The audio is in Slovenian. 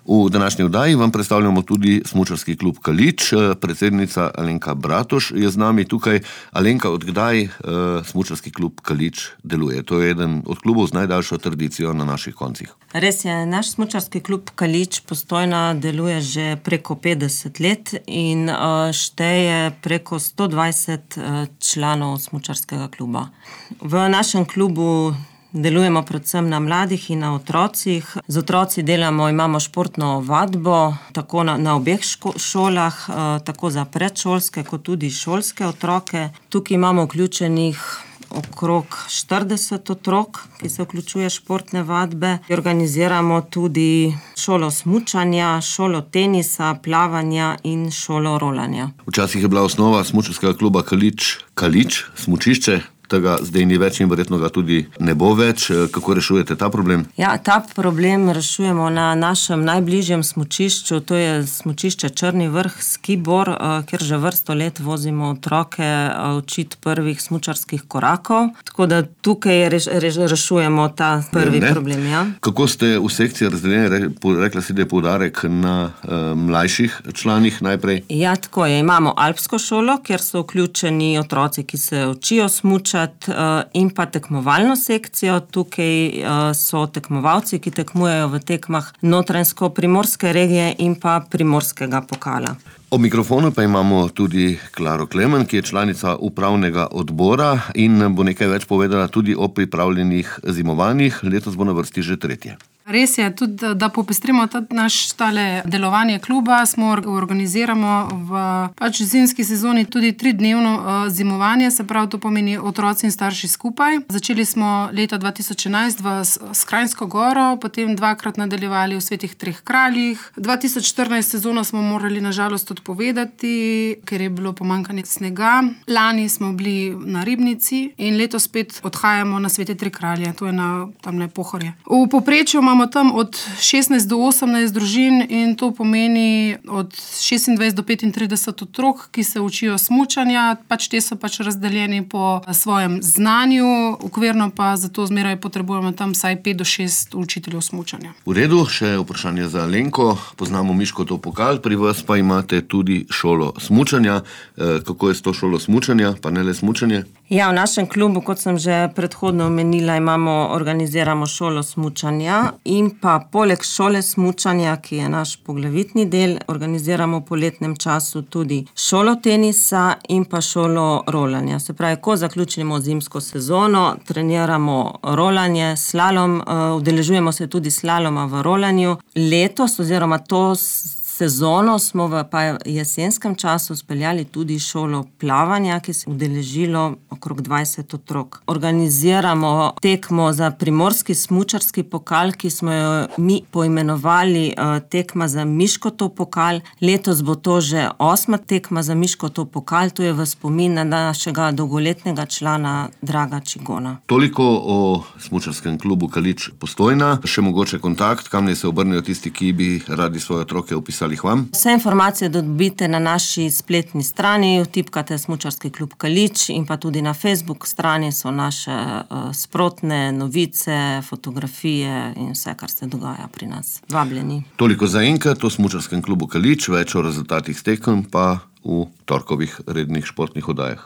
V današnji oddaji vam predstavljamo tudi smučarski klub Kalič. Predsednica Alenka Bratoš je z nami tukaj. Alenka, od kdaj smučarski klub Kalič deluje? To je eden od klubov z najdaljšo tradicijo na naših koncih. Res je, naš smučarski klub Kalič Postojna deluje že preko 50 let in šteje preko 120 članov smučarskega kluba. V našem klubu delujemo predvsem na mladih in na otrocih. Z otroci imamo športno vadbo, tako na obeh šolah, tako za predšolske kot tudi šolske otroke. Tukaj imamo vključenih okrog 40 otrok, ki se vključuje športne vadbe. Organiziramo tudi šolo smučanja, šolo tenisa, plavanja in šolo rolanja. Včasih je bila osnova smučarskega kluba Kalič, smučišče. Tega zdaj ni več in verjetno ga tudi ne bo več. Kako rešujete ta problem? Ja, ta problem rešujemo na našem najbližjem smučišču, to je smučišče Črni vrh Skibor, kjer že vrsto let vozimo otroke učiti prvih smučarskih korakov. Tako da tukaj rešujemo ta prvi problem. Ja. Kako ste v sekciji razdeljeni? Rekla si, da je poudarek na mlajših članih najprej. Ja, tako je. Imamo alpsko šolo, kjer so vključeni otroci, ki se učijo smučati, in pa tekmovalno sekcijo. Tukaj so tekmovalci, ki tekmujejo v tekmah Notranjsko-primorske regije in pa Primorskega pokala. Ob mikrofonu pa imamo tudi Klaro Klemen, ki je članica upravnega odbora in bo nekaj več povedala tudi o pripravljenih zimovanjih. Letos bo na vrsti že 3. Res je, tudi da popestrimo naš delovanje kluba, organiziramo v zimski sezoni tudi 3-dnevno zimovanje, se pravi, to pomeni otroci in starši skupaj. Začeli smo leta 2011 v Skranjsko goro, potem 2-krat nadaljevali v Svetih treh kraljih. 2014 sezono smo morali nažalost odpovedati, ker je bilo pomanjkanje snega. Lani smo bili na Ribnici in letos spet odhajamo na Svete tri kralje, to je na tamle Pohorje. V povprečju imamo tam od 16 do 18 družin in to pomeni od 26 do 35 otrok, ki se učijo smučanja. Te so razdeljeni po svojem znanju, okvirno pa zato zmeraj potrebujemo tam vsaj 5 do 6 učiteljev smučanja. V redu, še vprašanje za Alenko. Poznamo Miškotov pokal, pri vas pa imate tudi šolo smučanja. Kako je s to šolo smučanja, pa ne le smučanje? Ja, v našem klubu, kot sem že predhodno omenila, organiziramo šolo smučanja in pa poleg šole smučanja, ki je naš poglavitni del, organiziramo v poletnem času tudi šolo tenisa in pa šolo rolanja. Se pravi, ko zaključimo zimsko sezono, treniramo rolanje, slalom, udeležujemo se tudi slaloma v rolanju. Letos oziroma to sezono smo v jesenskem času speljali tudi šolo plavanja, ki se je udeležilo okrog 20 otrok. Organiziramo tekmo za primorski smučarski pokal, ki smo jo mi poimenovali tekma za Miškotov pokal. Letos bo to že 8. tekma za Miškotov pokal, to je v spomin na našega dolgoletnega člana Draga Čigona. Toliko o smučarskem klubu Kalič Postojna. Še mogoče kontakt, kam se obrnejo tisti, ki bi radi svoje otroke upisali k vam? Vse informacije dobite na naši spletni strani, vtipkate smučarski klub Kalič in pa tudi na Facebook strani so naše sprotne novice, fotografije in vse, kar se dogaja pri nas. Vabljeni. Toliko zaenkrat o smučarskem klubu Kalič, več o rezultatih tekem pa v torkovih rednih športnih oddajah.